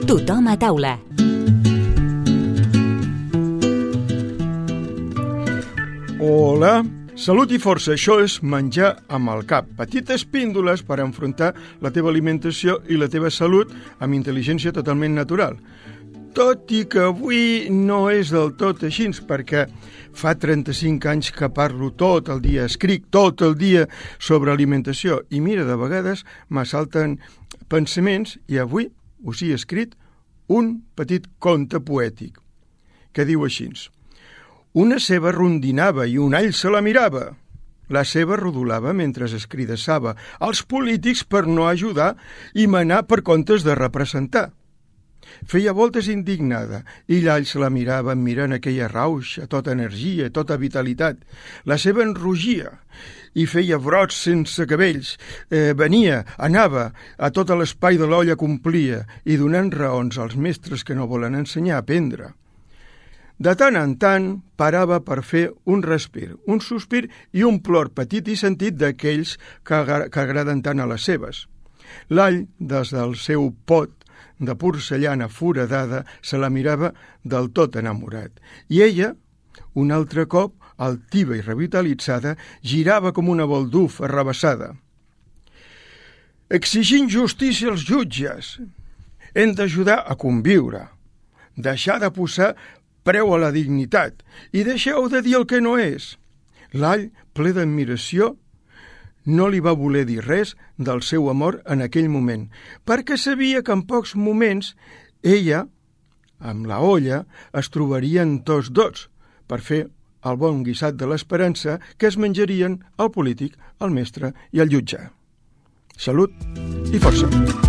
Tothom a taula. Hola, salut i força, això és menjar amb el cap. Petites píndoles per enfrontar la teva alimentació i la teva salut amb intel·ligència totalment natural. Tot i que avui no és del tot així, perquè fa 35 anys que parlo tot el dia, escric tot el dia sobre alimentació i mira, de vegades m'assalten pensaments i avui us he escrit un petit conte poètic que diu així: una ceba rondinava i un all se la mirava. La ceba rodolava mentre es cridassava als polítics per no ajudar i manar per comptes de representar. Feia voltes indignada i l'all se la mirava mirant aquella rauxa, tota energia, tota vitalitat. La ceba enrogia i feia brots sense cabells. Venia, anava, a tot l'espai de l'olla complia i donant raons als mestres que no volen ensenyar a aprendre. De tant en tant parava per fer un respir, un sospir i un plor petit i sentit d'aquells que agraden tant a les cebes. L'all, des del seu pot de porcellana foradada, se la mirava del tot enamorat. I ella, un altre cop, altiva i revitalitzada, girava com una bolduf arrabassada. Exigint justícia als jutges. Hem d'ajudar a conviure, deixar de posar preu a la dignitat i deixeu de dir el que no és. L'all, ple d'admiració, no li va voler dir res del seu amor en aquell moment, perquè sabia que en pocs moments ella, amb la olla, es trobarien tots dos per fer el bon guisat de l'esperança que es menjarien el polític, el mestre i el jutge. Salut i força!